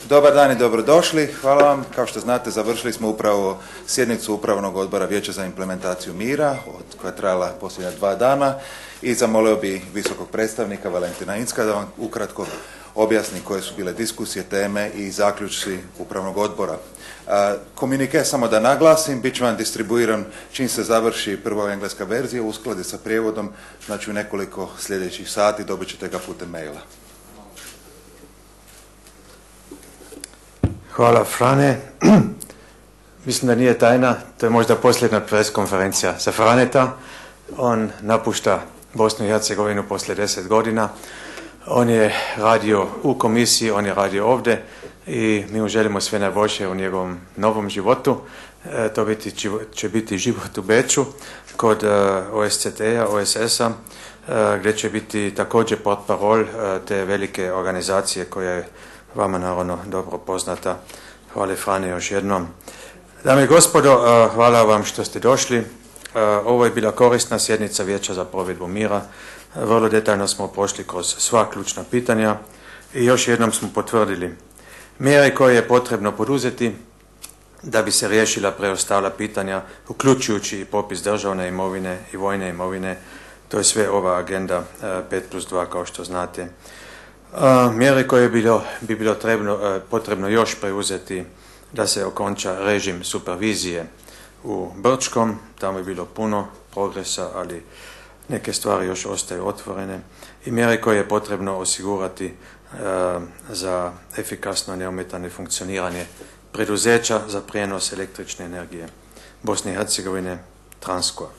Dobar dan i dobrodošli. Hvala vam. Kao što znate, završili smo upravo sjednicu Upravnog odbora Vijeća za implementaciju mira, koja je trajala posljednja 2 dana, i zamolio bi visokog predstavnika Valentina Incka da vam ukratko objasni koje su bile diskusije, teme i zaključci Upravnog odbora. Komunike, samo da naglasim, bit će vam distribuiran čim se završi prva engleska verzija, uskladi sa prijevodom, znači u nekoliko sljedećih sati dobit ćete ga putem maila. Hvala, Frane. Mislim da nije tajna, to je možda posljedna preskonferencija za Franeta. On napušta Bosnu i Hercegovinu poslije 10 godina. On je radio u komisiji, on je radio ovdje i mi mu želimo sve najbolje u njegovom novom životu. To će biti život u Beču kod OSCT-a, OSS-a, gdje će biti također portparol te velike organizacije koja je vama naravno dobro poznata. Hvala, Frane, još jednom. Dame i gospodo, hvala vam što ste došli. Ovo je bila korisna sjednica Vijeća za provedbu mira. Vrlo detaljno smo prošli kroz sva ključna pitanja i još jednom smo potvrdili mjere koje je potrebno poduzeti da bi se riješila preostala pitanja, uključujući i popis državne imovine i vojne imovine. To je sve ova agenda 5+2, kao što znate. Mjere koje bi bilo potrebno još preuzeti da se okonča režim supervizije u Brčkom. Tamo je bilo puno progresa, ali neke stvari još ostaju otvorene. I mjere koje je potrebno osigurati za efikasno neometano funkcioniranje preduzeća za prijenos električne energije Bosne i Hercegovine, Transko.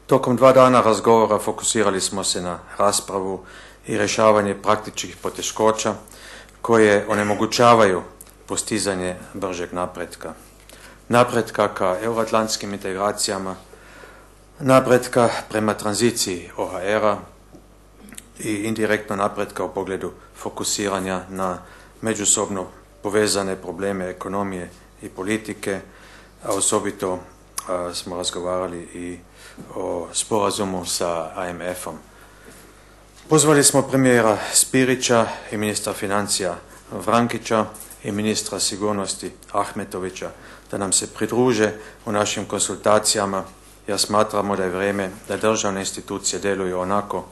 Tokom 2 dana razgovora fokusirali smo se na raspravu i rješavanje praktičnih poteškoća koje onemogućavaju postizanje bržeg napretka. Napretka ka euroatlantskim integracijama, napretka prema tranziciji OHR-a i indirektno napretka u pogledu fokusiranja na međusobno povezane probleme ekonomije i politike, a osobito smo razgovarali i o sporazumu sa IMF-om. Pozvali smo premijera Spirića i ministra financija Vrankića i ministra sigurnosti Ahmetovića da nam se pridruže u našim konsultacijama, jer smatramo da je vrijeme da državne institucije djeluju onako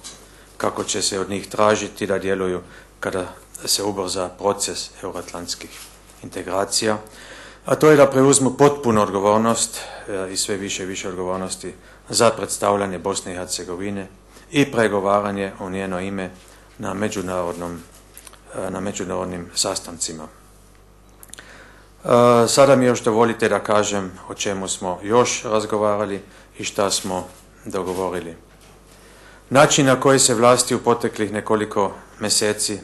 kako će se od njih tražiti da djeluju kada se ubrza proces euroatlantskih integracija, a to je da preuzmu potpunu odgovornost i sve više i više odgovornosti za predstavljanje Bosne i Hercegovine i pregovaranje u njeno ime na međunarodnim sastancima. Sada mi još dovolite da kažem o čemu smo još razgovarali i šta smo dogovorili. Način na koji se vlasti u proteklih nekoliko mjeseci,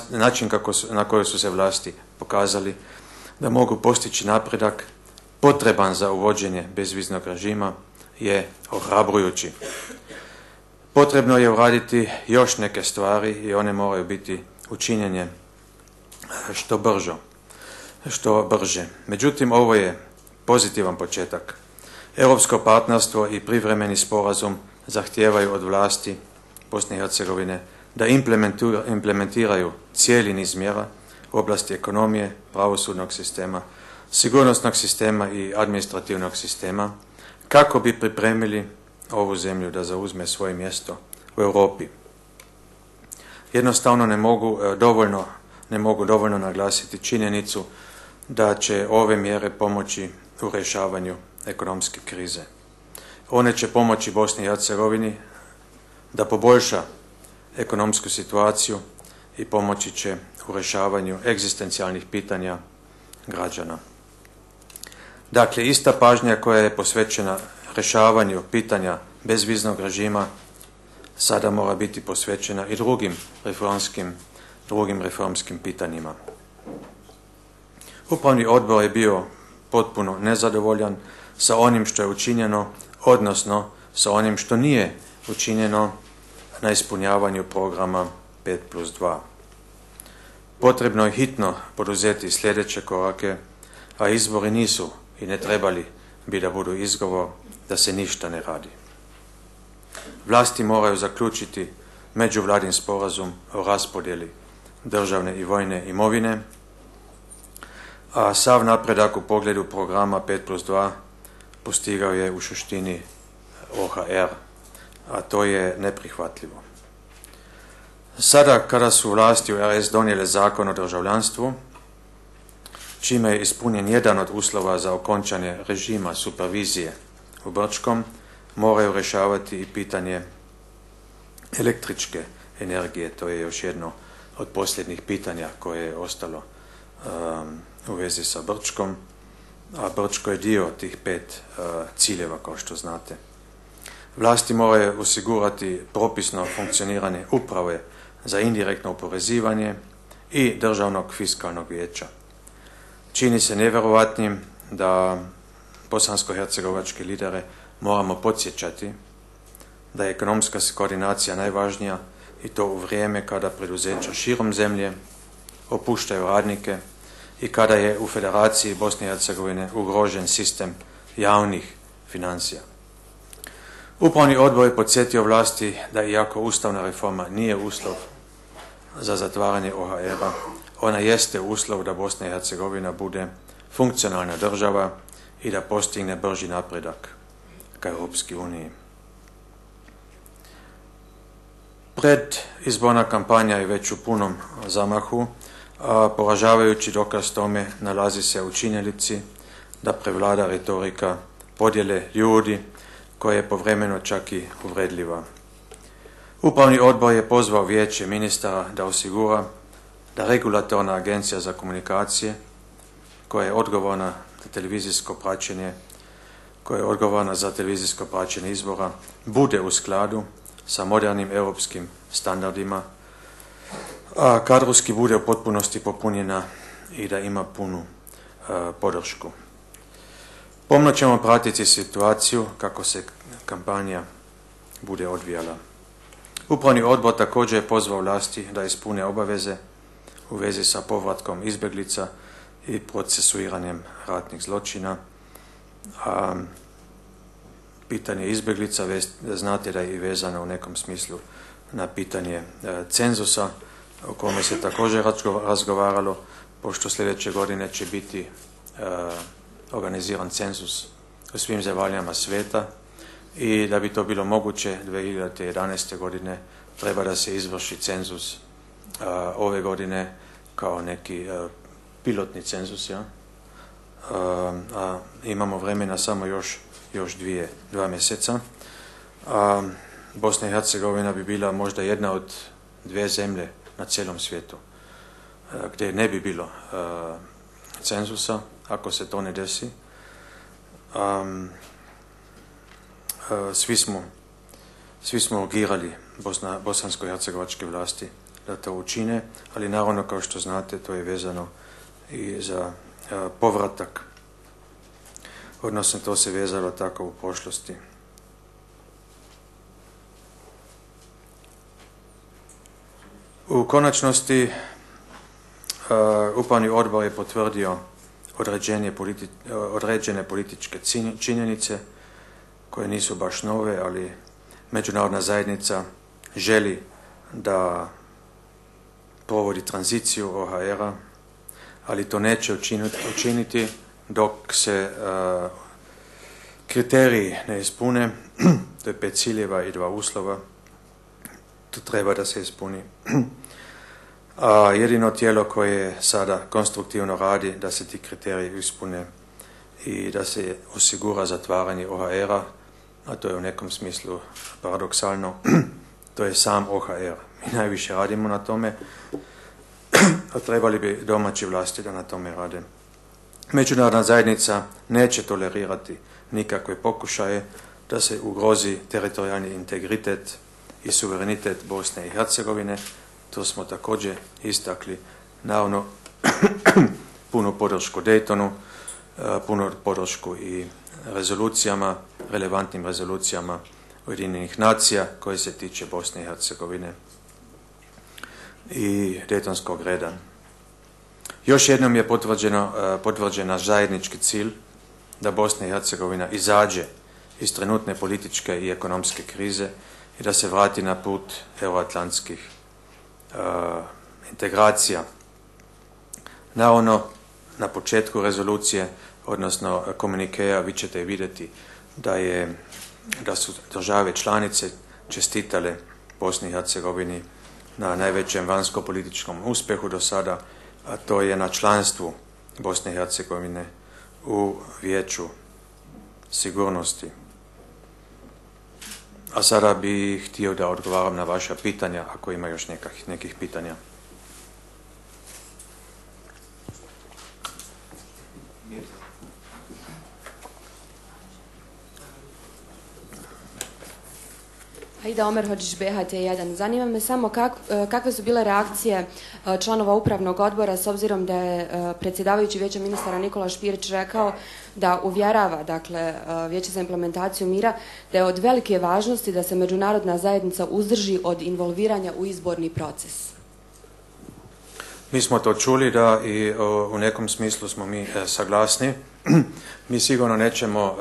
način na koji su se vlasti pokazali da mogu postići napredak potreban za uvođenje bezviznog režima je ohrabrujući. Potrebno je uraditi još neke stvari i one moraju biti učinjene što brže. Međutim, ovo je pozitivan početak. Europsko partnerstvo i privremeni sporazum zahtijevaju od vlasti Bosne i Hercegovine da implementiraju cijeli niz mjera u oblasti ekonomije, pravosudnog sistema, sigurnosnog sistema i administrativnog sistema kako bi pripremili ovu zemlju da zauzme svoje mjesto u Europi. Jednostavno ne mogu dovoljno naglasiti činjenicu da će ove mjere pomoći u rješavanju ekonomske krize. One će pomoći Bosni i Hercegovini da poboljša ekonomsku situaciju i pomoći će u rješavanju egzistencijalnih pitanja građana. Dakle, ista pažnja koja je posvećena rješavanju pitanja bezviznog režima sada mora biti posvećena i drugim reformskim pitanjima. Upravni odbor je bio potpuno nezadovoljan sa onim što je učinjeno, odnosno sa onim što nije učinjeno na ispunjavanju programa 5+2. Potrebno je hitno poduzeti sljedeće korake, a izbori nisu i ne trebali bi da budu izgovor da se ništa ne radi. Vlasti moraju zaključiti međuvladin sporazum o raspodjeli državne i vojne imovine, a sav napredak u pogledu programa 5+2 postigao je u suštini OHR, a to je neprihvatljivo. Sada, kada su vlasti u RS donijele zakon o državljanstvu, čime je ispunjen jedan od uslova za okončanje režima supervizije u Brčkom, moraju rješavati i pitanje električke energije. To je još jedno od posljednjih pitanja koje je ostalo u vezi sa Brčkom, a Brčko je dio tih 5 ciljeva, kao što znate. Vlasti moraju osigurati propisno funkcioniranje uprave za indirektno oporezivanje i državnog fiskalnog vijeća. Čini se nevjerovatnim da bosansko-hercegovačke lidere moramo podsjećati da je ekonomska koordinacija najvažnija, i to u vrijeme kada preduzeća širom zemlje opuštaju radnike i kada je u Federaciji Bosne i Hercegovine ugrožen sistem javnih financija. Upravni odbor je podsjetio vlasti da iako ustavna reforma nije uslov za zatvaranje OHR-a, ona jeste uslov da Bosna i Hercegovina bude funkcionalna država i da postigne brži napredak ka Europskoj uniji. Predizborna kampanja je već u punom zamahu, a poražavajući dokaz tome nalazi se u činjenici da prevlada retorika podjele ljudi, koja je povremeno čak i uvredljiva. Upravni odbor je pozvao vijeće ministara da osigura da regulatorna agencija za komunikacije, koja je odgovorna za televizijsko praćenje izbora, bude u skladu sa modernim europskim standardima, a kadrovski bude u potpunosti popunjena i da ima punu podršku. Pomno ćemo pratiti situaciju kako se kampanja bude odvijala. Upravni odbor također je pozvao vlasti da ispune obaveze u vezi sa povratkom izbjeglica i procesuiranjem ratnih zločina. A pitanje izbjeglica, znate da je i vezano u nekom smislu na pitanje cenzusa, o kome se također razgovaralo, pošto sljedeće godine će biti organiziran cenzus u svim zemaljama svijeta i da bi to bilo moguće 2011. godine treba da se izvrši cenzus ove godine kao neki pilotni cenzus, ja? A imamo vremena samo još dva mjeseca. Bosna i Hercegovina bi bila možda jedna od 2 zemlje na cijelom svijetu gdje ne bi bilo cenzusa. Ako se to ne desi, svi smo urgirali bosansko-hercegovačke vlasti da to učine, ali naravno, kao što znate, to je vezano i za povratak, odnosno to se vezalo tako u prošlosti. U konačnosti Upravni odbor je potvrdio određene političke činjenice koje nisu baš nove, ali međunarodna zajednica želi da provodi tranziciju OHR-a, ali to neće učiniti dok se kriteriji ne ispune. To je 5 ciljeva i 2 uslova. To treba da se ispuni. A jedino tijelo koje sada konstruktivno radi da se ti kriteriji ispune i da se osigura zatvaranje OHR-a, a to je u nekom smislu paradoksalno, to je sam OHR. Mi najviše radimo na tome, a trebali bi domaći vlasti da na tome rade. Međunarodna zajednica neće tolerirati nikakve pokušaje da se ugrozi teritorijalni integritet i suverenitet Bosne i Hercegovine. To smo također istakli, naravno punu podršku Daytonu, punu podršku i rezolucijama, relevantnim rezolucijama Ujedinjenih nacija koje se tiče Bosne i Hercegovine i Daytonskog reda. Još jednom je potvrđen naš zajednički cilj da Bosna i Hercegovina izađe iz trenutne političke i ekonomske krize i da se vrati na put euroatlantskih integracija. Naravno, na početku rezolucije, odnosno komunikeja, vi ćete vidjeti da su države članice čestitale Bosni i Hercegovini na najvećem vanjsko-političkom uspjehu do sada, a to je na članstvu Bosne i Hercegovine u Vijeću sigurnosti. A sada bih htio da odgovaram na vaša pitanja, ako ima još nekih pitanja. Aida Omer Hodžić, BHT1. Zanima me samo kakve su bile reakcije članova upravnog odbora s obzirom da je predsjedavajući Vijeća ministara Nikola Špirić rekao da uvjerava, dakle, Vijeće za implementaciju mira da je od velike važnosti da se međunarodna zajednica uzdrži od involviranja u izborni proces. Mi smo to čuli da i u nekom smislu smo mi saglasni. Mi sigurno nećemo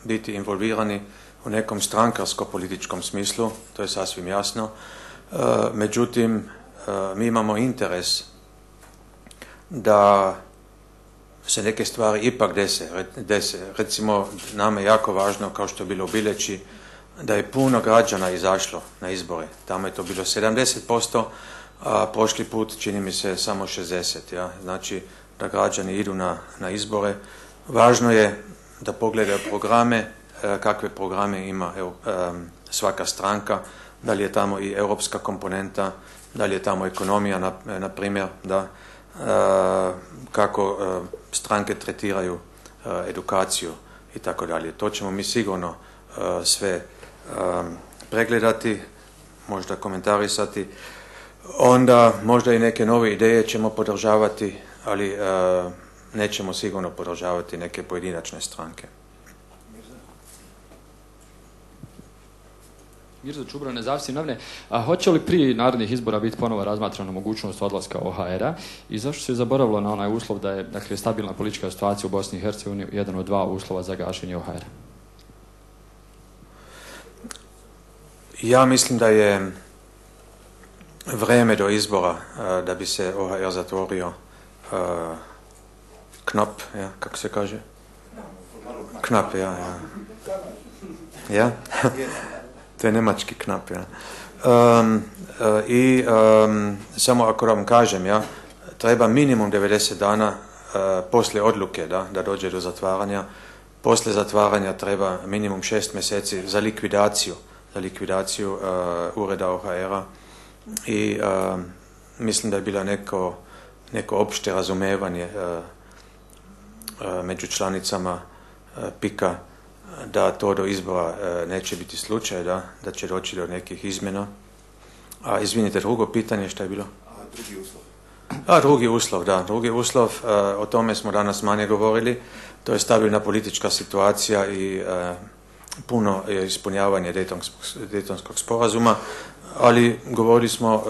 biti involvirani u nekom strankarsko-političkom smislu, to je sasvim jasno. Međutim, mi imamo interes da se neke stvari ipak dese. Recimo, nam je jako važno, kao što je bilo u Bileći, da je puno građana izašlo na izbore. Tamo je to bilo 70%, a prošli put čini mi se samo 60%. Ja? Znači, da građani idu na izbore. Važno je da pogledaju programe, kakve programe ima svaka stranka, da li je tamo i europska komponenta, da li je tamo ekonomija, na primjer, da kako stranke tretiraju edukaciju i tako dalje. To ćemo mi sigurno sve pregledati, možda komentarisati. Onda možda i neke nove ideje ćemo podržavati, ali nećemo sigurno podržavati neke pojedinačne stranke. Mirza Čubra, Nezavisne novine. A hoće li prije narednih izbora biti ponovo razmatrana mogućnost odlaska OHR-a i zašto se zaboravilo na onaj uslov da je, dakle, stabilna politička situacija u Bosni i Hercegovini jedan od dva uslova za gašenje OHR-a? Ja mislim da je vrijeme do izbora da bi se OHR zatvorio knap, ja, kako se kaže? Knap, ja. Ja? To je nemački knap, ja. Samo ako vam kažem, ja, treba minimum 90 dana poslije odluke da dođe do zatvaranja. Poslije zatvaranja treba minimum 6 mjeseci za likvidaciju ureda OHR-a i mislim da je bila neko opšte razumevanje među članicama PIK-a da to do izbora neće biti slučaj, da će doći do nekih izmjena. A izvinite, drugo pitanje što je bilo? Drugi uslov. Drugi uslov, o tome smo danas manje govorili, to je stabilna politička situacija i puno ispunjavanje Dejtonskog sporazuma, ali govorili smo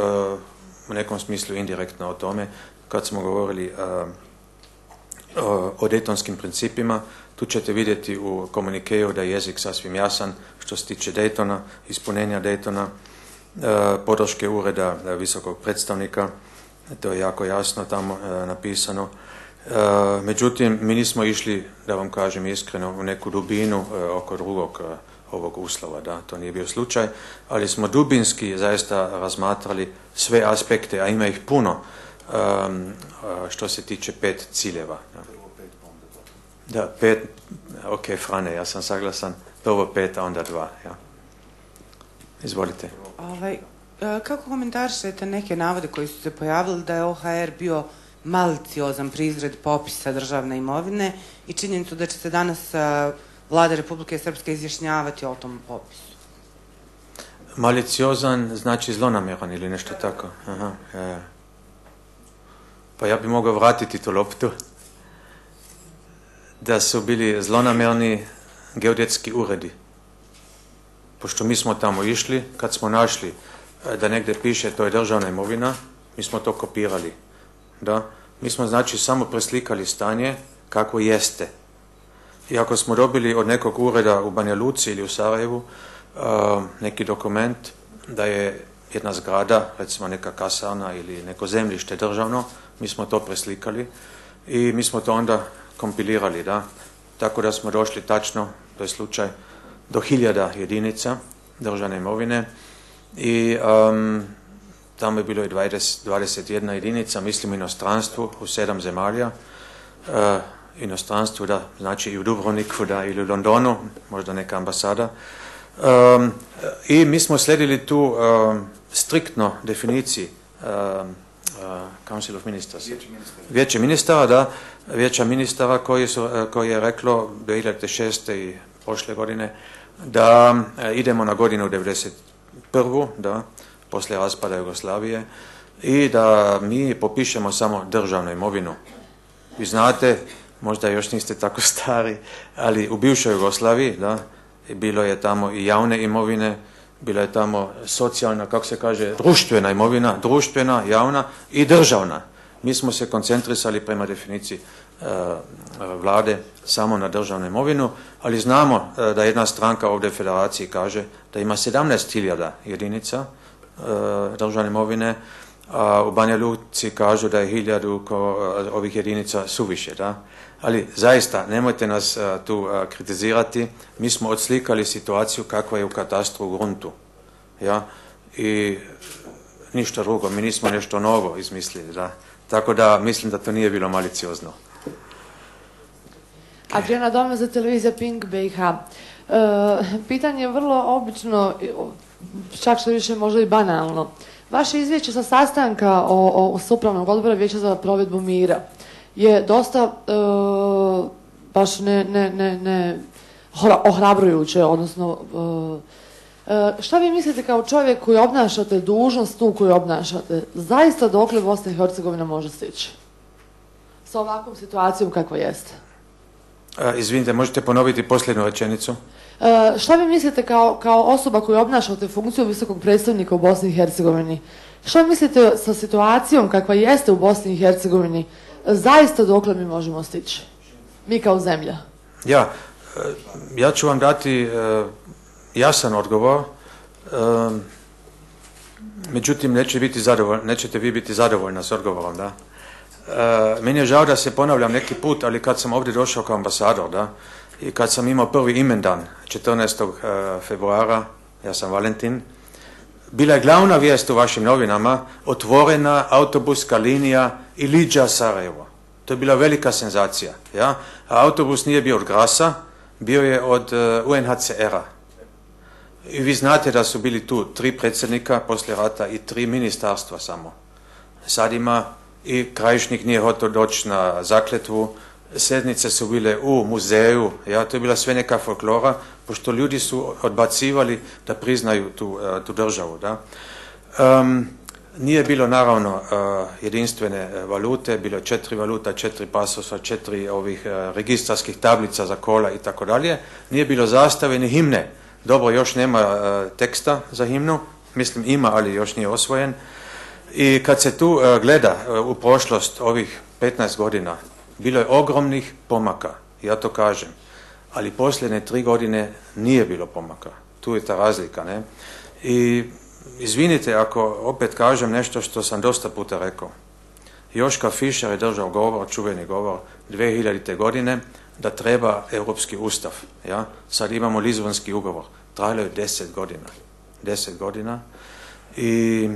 u nekom smislu indirektno o tome kad smo govorili o dejtonskim principima. Tu ćete vidjeti u komunikeju da je jezik sasvim jasan što se tiče Dejtona, ispunenja Dejtona, podrške ureda visokog predstavnika, to je jako jasno tamo napisano. Međutim, mi nismo išli, da vam kažem iskreno, u neku dubinu oko drugog ovog uslova, da, to nije bio slučaj, ali smo dubinski zaista razmatrali sve aspekte, a ima ih puno, što se tiče 5 ciljeva. Da, 5, ok, Frane, ja sam saglasan, prvo 5, a onda 2, ja. Izvolite. Kako komentarišete neke navode koji su se pojavili da je OHR bio maliciozan pri izradi popisa državne imovine i činjenicu da će se danas Vlada Republike Srpske izjašnjavati o tom popisu? Maliciozan znači zlonamjeran ili nešto tako. Aha, ja. Pa ja bi mogao vratiti tu loptu. Da su bili zlonamjerni geodetski uredi. Pošto mi smo tamo išli, kad smo našli da negdje piše to je državna imovina, mi smo to kopirali. Da? Mi smo znači samo preslikali stanje kako jeste. I ako smo dobili od nekog ureda u Banja Luci ili u Sarajevu neki dokument da je jedna zgrada, recimo neka kasarna ili neko zemljište državno, mi smo to preslikali i mi smo to onda kompilirali, da. Tako da smo došli tačno, to je slučaj, do 1000 jedinica državne imovine i tamo je bilo i 21 jedinica, mislim inostranstvu, u 7 zemalja. Inostranstvu, da, znači i u Dubrovniku, da, ili u Londonu, možda neka ambasada. I mi smo sledili tu striktno definiciji Council of Ministers. Vijeće ministara, da, vijeća ministara koji je reklo 2006. i prošle godine da idemo na godinu 91. da, poslije raspada Jugoslavije i da mi popišemo samo državnu imovinu. Vi znate, možda još niste tako stari, ali u bivšoj Jugoslaviji, da, bilo je tamo i javne imovine, bila je tamo socijalna, kako se kaže, društvena imovina, društvena, javna i državna. Mi smo se koncentrisali prema definiciji vlade samo na državnu imovinu, ali znamo da jedna stranka ovdje u federaciji kaže da ima 17.000 jedinica državne imovine, a u Banja Luci kažu da je 1000 ovih jedinica suviše, da? Ali zaista, nemojte nas tu kritizirati, mi smo odslikali situaciju kakva je u katastru u gruntu, ja? I ništa drugo, mi nismo nešto novo izmislili, da? Tako da mislim da to nije bilo maliciozno. Adriana Dome za televizija Pink BiH. Pitanje je vrlo obično, čak što više možda i banalno. Vaše izvješće sa sastanka o upravnog odbora Vijeća za provedbu mira je dosta baš ne ohrabrujuće, odnosno šta vi mislite kao čovjek koji obnašate dužnost tu koju obnašate, zaista dokle Bosna i Hercegovina može stići sa ovakvom situacijom kakva jeste? Izvinite, možete ponoviti posljednju rečenicu? Šta vi mislite kao osoba koja obnašate funkciju visokog predstavnika u Bosni i Hercegovini? Šta vi mislite sa situacijom kakva jeste u Bosni i Hercegovini, zaista dokle mi možemo stići? Mi kao zemlja. Ja ću vam dati jasan odgovor, međutim nećete vi biti zadovoljni s odgovorom, da? Meni je žao da se ponavljam neki put, ali kad sam ovdje došao kao ambasador, da, i kad sam imao prvi imendan 14. februara, ja sam Valentin, bila je glavna vijest u vašim novinama otvorena autobuska linija Ilidža-Sarajevo. To je bila velika senzacija. Ja? A autobus nije bio od Grasa, bio je od UNHCR-a. I vi znate da su bili tu 3 predsjednika poslije rata i 3 ministarstva samo. Sad ima i Krajišnik nije hotel doći na zakletvu, sednice su bile u muzeju, ja, to je bila sve neka folklora, pošto ljudi su odbacivali da priznaju tu državu. Da. Nije bilo naravno jedinstvene valute, bilo je 4 valuta, 4 pasosa, 4 ovih registarskih tablica za kola i tako dalje. Nije bilo zastave ni himne. Dobro, još nema teksta za himnu, mislim ima, ali još nije osvojen. I kad se tu gleda u prošlost ovih 15 godina, bilo je ogromnih pomaka, ja to kažem, ali posljednje 3 godine nije bilo pomaka. Tu je ta razlika, ne? I izvinite ako opet kažem nešto što sam dosta puta rekao. Joška Fischer je držao govor, čuveni govor, 2000. godine, da treba Europski ustav. Ja? Sad imamo Lizbonski ugovor. Trajalo je 10 godina. 10 godina. I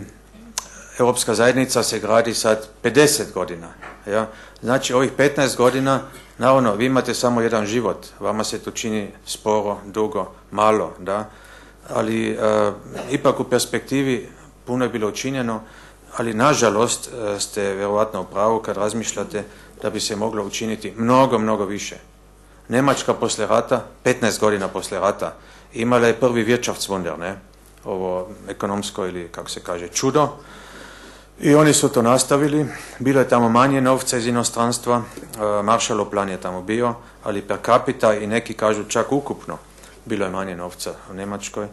Europska zajednica se gradi sad 50 godina. Ja? Znači ovih 15 godina, naravno, vi imate samo jedan život. Vama se to čini sporo, dugo, malo, da? Ali ipak u perspektivi puno je bilo učinjeno, ali nažalost ste vjerovatno u pravu kad razmišljate da bi se moglo učiniti mnogo, mnogo više. Njemačka poslije rata, 15 godina poslije rata, imala je prvi Wirtschaftswunder, ne? Ovo ekonomsko ili kako se kaže čudo. I oni su to nastavili, bilo je tamo manje novca iz inostranstva, Marshallov plan je tamo bio, ali per capita i neki kažu čak ukupno bilo je manje novca u Njemačkoj.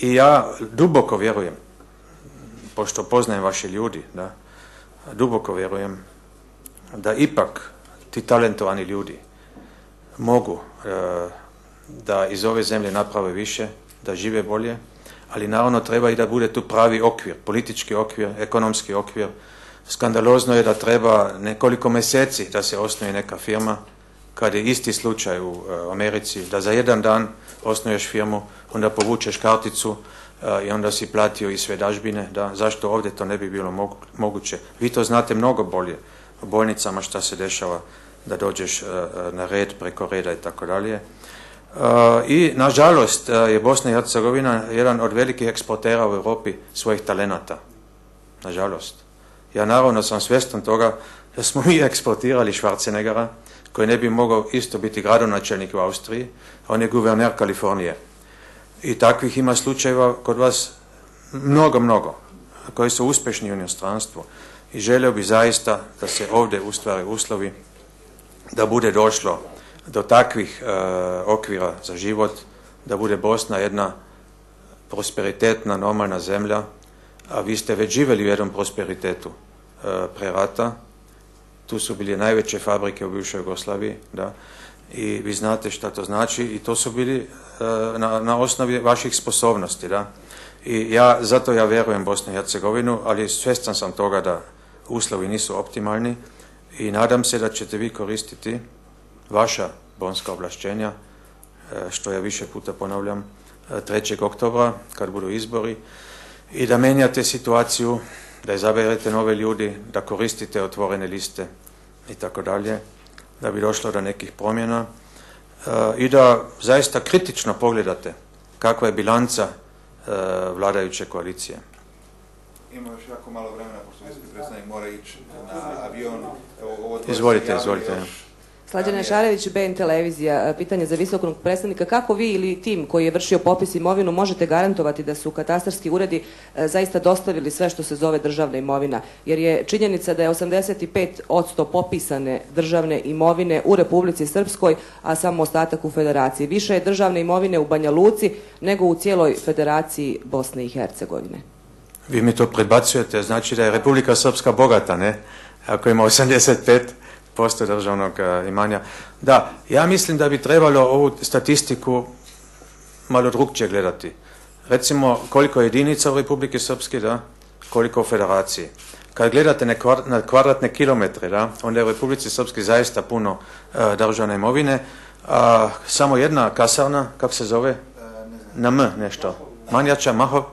I ja duboko vjerujem, pošto poznajem vaše ljudi, da, duboko vjerujem da ipak ti talentovani ljudi mogu da iz ove zemlje naprave više, da žive bolje, ali naravno treba i da bude tu pravi okvir, politički okvir, ekonomski okvir. Skandalozno je da treba nekoliko mjeseci da se osnuje neka firma, kad je isti slučaj u Americi, da za jedan dan osnuješ firmu, onda povučeš karticu i onda si platio i sve dažbine. Da, zašto ovdje to ne bi bilo moguće? Vi to znate mnogo bolje u bolnicama šta se dešava, da dođeš na red, preko reda i tako dalje. I nažalost je Bosna i Hercegovina jedan od velikih eksportera u Europi svojih talenata. Nažalost. Ja naravno sam svjestan toga da smo mi eksportirali Schwarzeneggera, koji ne bi mogao isto biti gradonačelnik u Austriji, on je guverner Kalifornije. I takvih ima slučajeva kod vas mnogo, koji su uspješni u inostranstvu. I želio bi zaista da se ovdje ustvare uslovi da bude došlo do takvih okvira za život, da bude Bosna jedna prosperitetna, normalna zemlja, a vi ste već živjeli u jednom prosperitetu pre rata. Tu su bili najveće fabrike u bivšoj Jugoslaviji, da, i vi znate šta to znači i to su bili na osnovi vaših sposobnosti, da. I zato ja vjerujem Bosnu i Hercegovinu, ali svjestan sam toga da uslovi nisu optimalni i nadam se da ćete vi koristiti vaša bonska ovlašćenja, što ja više puta ponavljam, 3. oktobra, kad budu izbori, i da menjate situaciju, da izaberete nove ljudi, da koristite otvorene liste i tako dalje, da bi došlo do nekih promjena i da zaista kritično pogledate kakva je bilanca vladajuće koalicije. Ima još jako malo vremena, pošto visoki predstavnik mora ići na avion. Izvolite. Slađana Šarević, BN televizija. Pitanje za visokog predstavnika. Kako vi ili tim koji je vršio popis imovinu možete garantovati da su katastarski uredi zaista dostavili sve što se zove državna imovina? Jer je činjenica da je 85% popisane državne imovine u Republici Srpskoj, a samo ostatak u Federaciji. Više je državne imovine u Banja Luci nego u cijeloj Federaciji Bosne i Hercegovine. Vi mi to predbacujete, znači da je Republika Srpska bogata, ne? Ako ima 85% državnog imanja. Da, ja mislim da bi trebalo ovu statistiku malo drugčije gledati. Recimo, koliko je jedinica u Republike Srpske, da, koliko u Federaciji. Kad gledate na kvadratne kilometre, da, onda je u Republici Srpske zaista puno državne imovine. Samo jedna kasarna, kako se zove? Na M nešto. Manjača, Mahov?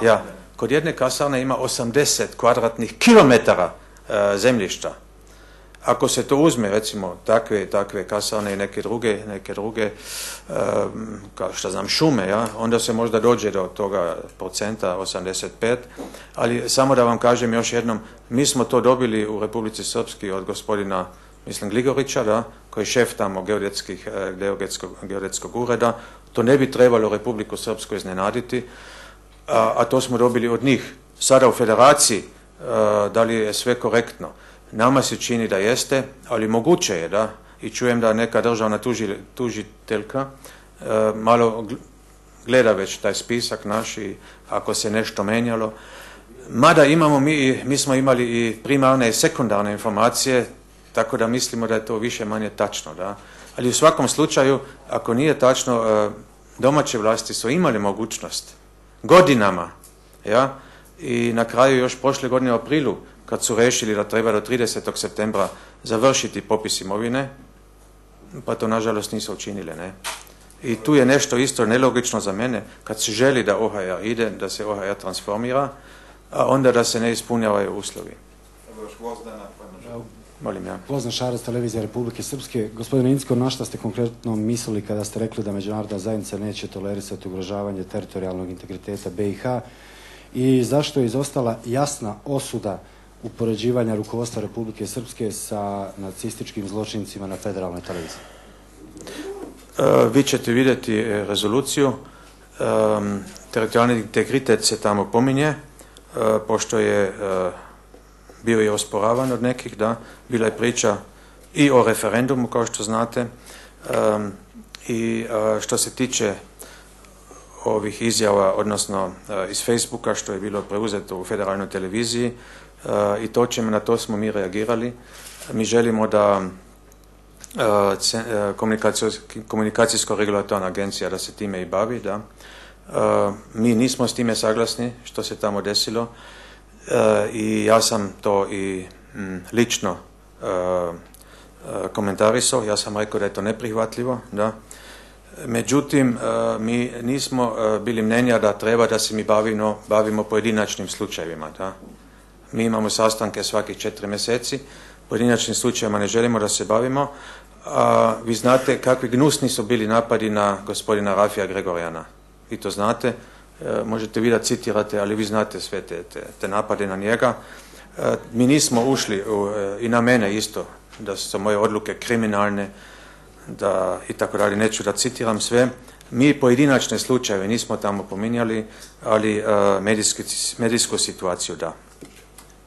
Ja. Kod jedne kasarne ima 80 kvadratnih kilometara zemljišta. Ako se to uzme, recimo, takve kasarne i neke druge kao što znam, šume, ja, onda se možda dođe do toga procenta, 85, ali samo da vam kažem još jednom, mi smo to dobili u Republici Srpskoj od gospodina, mislim, Gligorića, da, koji je šef tamo geodetskog ureda. To ne bi trebalo Republiku Srpsku iznenaditi, a to smo dobili od njih. Sada u Federaciji, da li je sve korektno? Nama se čini da jeste, ali moguće je, da, i čujem da neka državna tužiteljka malo gleda već taj spisak naš i ako se nešto menjalo. Mada imamo mi smo imali i primarne i sekundarne informacije, tako da mislimo da je to više manje tačno, da. Ali u svakom slučaju, ako nije tačno, domaće vlasti su imali mogućnost godinama, ja, i na kraju još prošle godine u aprilu, kad su rešili da treba do 30. septembra završiti popis imovine, pa to nažalost nisu učinili, ne. I tu je nešto isto nelogično za mene, kad se želi da OHR ide, da se OHR transformira, a onda da se ne ispunjavaju uslovi. Molim ja. Gvozdan Šarac, televizija Republike Srpske. Gospodine Incko, na šta ste konkretno mislili kada ste rekli da međunarodna zajednica neće tolerisati ugrožavanje teritorijalnog integriteta BiH i zašto je izostala jasna osuda upoređivanja rukovodstva Republike Srpske sa nacističkim zločincima na federalnoj televiziji? Vi ćete vidjeti rezoluciju. Teritorijalni integritet se tamo pominje, pošto je bio je osporavan od nekih, da, bila je priča i o referendumu, kao što znate, i što se tiče ovih izjava, odnosno iz Facebooka, što je bilo preuzeto u federalnoj televiziji, i na to smo mi reagirali. Mi želimo da komunikacijsko-regulatorna agencija da se time i bavi, da. Mi nismo s time saglasni što se tamo desilo i ja sam to i lično komentarisao, ja sam rekao da je to neprihvatljivo, da. Međutim, mi nismo bili mnenja da treba da se mi bavimo pojedinačnim slučajevima, da. Mi imamo sastanke svakih 4 mjeseci, pojedinačnim slučajevima ne želimo da se bavimo. Vi znate kakvi gnusni su bili napadi na gospodina Rafija Gregorjana. Vi to znate, možete vi da citirate, ali vi znate sve te napade na njega. Mi nismo ušli, i na mene isto, da su moje odluke kriminalne, da i tako dalje, neću da citiram sve. Mi pojedinačne slučajeve nismo tamo pominjali, ali medijsku situaciju da.